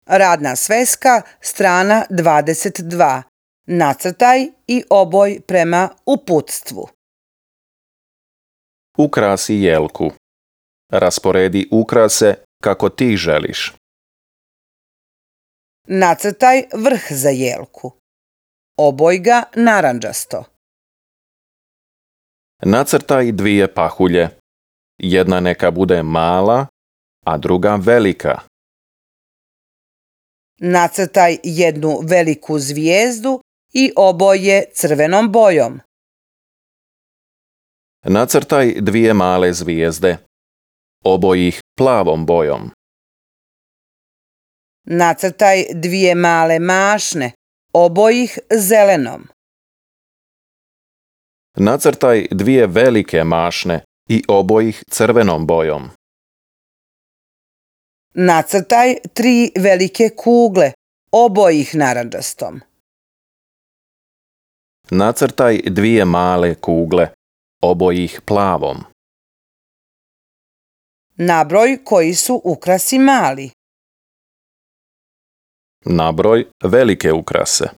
Radna sveska, strana 22. Nacrtaj i oboj prema uputstvu. Ukrasi jelku. Rasporedi ukrase kako ti želiš. Nacrtaj vrh za jelku. Oboj ga narandžasto. Nacrtaj dvije pahulje. Jedna neka bude mala, a druga velika. Nacrtaj jednu veliku zvijezdu i oboje crvenom bojom. Nacrtaj dvije male zvijezde. Oboj ih plavom bojom. Nacrtaj dvije male mašne, oboj ih zelenom. Nacrtaj dvije velike mašne i oboj ih crvenom bojom. Nacrtaj 3 velike kugle, oboj ih narandžastom. Nacrtaj dvije male kugle, oboj ih plavom. Nabroj koji su ukrasi mali. Nabroj velike ukrase.